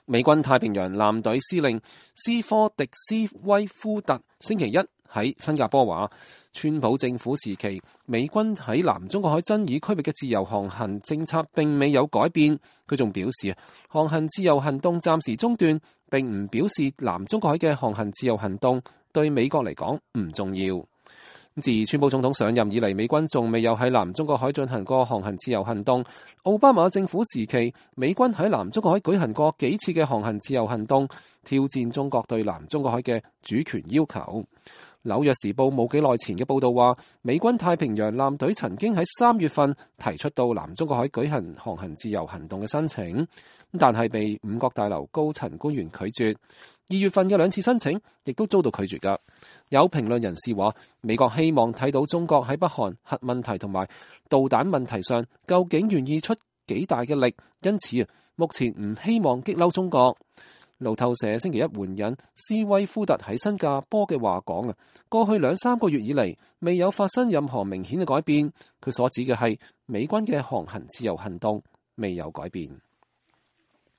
美軍太平洋艦隊司令斯科迪斯威夫特星期一喺新加坡話，川普政府時期美軍喺南中國海爭議區域嘅自由航行政策並未有改變。佢仲表示，航行自由行動暫時中斷，並唔表示南中國海嘅航行自由行動對美國嚟講唔重要。自川普總統上任以嚟，美軍仲未有喺南中國海進行過航行自由行動。奧巴馬政府時期，美軍喺南中國海舉行過幾次嘅航行自由行動，挑戰中國對南中國海嘅主權要求。紐約時報冇幾耐前嘅報道話，美軍太平洋艦隊曾經喺3月份提出到南中國海舉行航行自由行動嘅申請，但係被五角大樓高層官員拒絕。2月份嘅2次申請亦都遭到拒絕㗎。有評論人士話，美國希望睇到中國喺北韓核問題同埋導彈問題上究竟願意出幾大嘅力，因此目前唔希望激嬲中國。路透社星期一援引斯威夫特喺新加坡嘅話講，過去2-3個月以嚟未有發生任何明顯嘅改變。佢所指嘅係美軍嘅航行自由行動未有改變。